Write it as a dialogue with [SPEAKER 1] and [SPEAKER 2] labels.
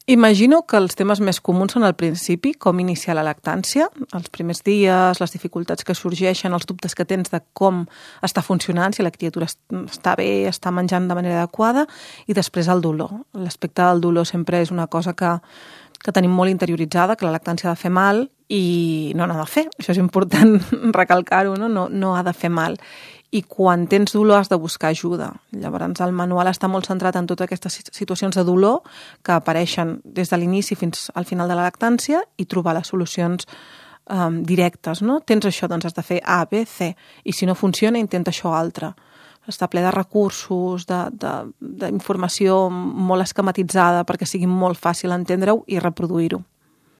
[SPEAKER 1] Imagino que els temes més comuns són al principi, com iniciar la lactància, els primers dies, les dificultats que sorgeixen, els dubtes que tens de com està funcionant, si la criatura està bé, està menjant de manera adequada, i després el dolor. L'aspecte del dolor sempre és una cosa que tenim molt interioritzada, que la lactància ha de fer mal i no n'ha de fer. Això és important recalcar-ho, no ha de fer mal. I quan tens dolor has de buscar ajuda. Llavors el manual està molt centrat en totes aquestes situacions de dolor que apareixen des de l'inici fins al final de la lactància i trobar les solucions directes. No? Tens això, doncs has de fer A, B, C. I si no funciona, intenta això altre. Està ple de recursos, d'informació molt esquematitzada perquè sigui molt fàcil entendre-ho i reproduir-ho.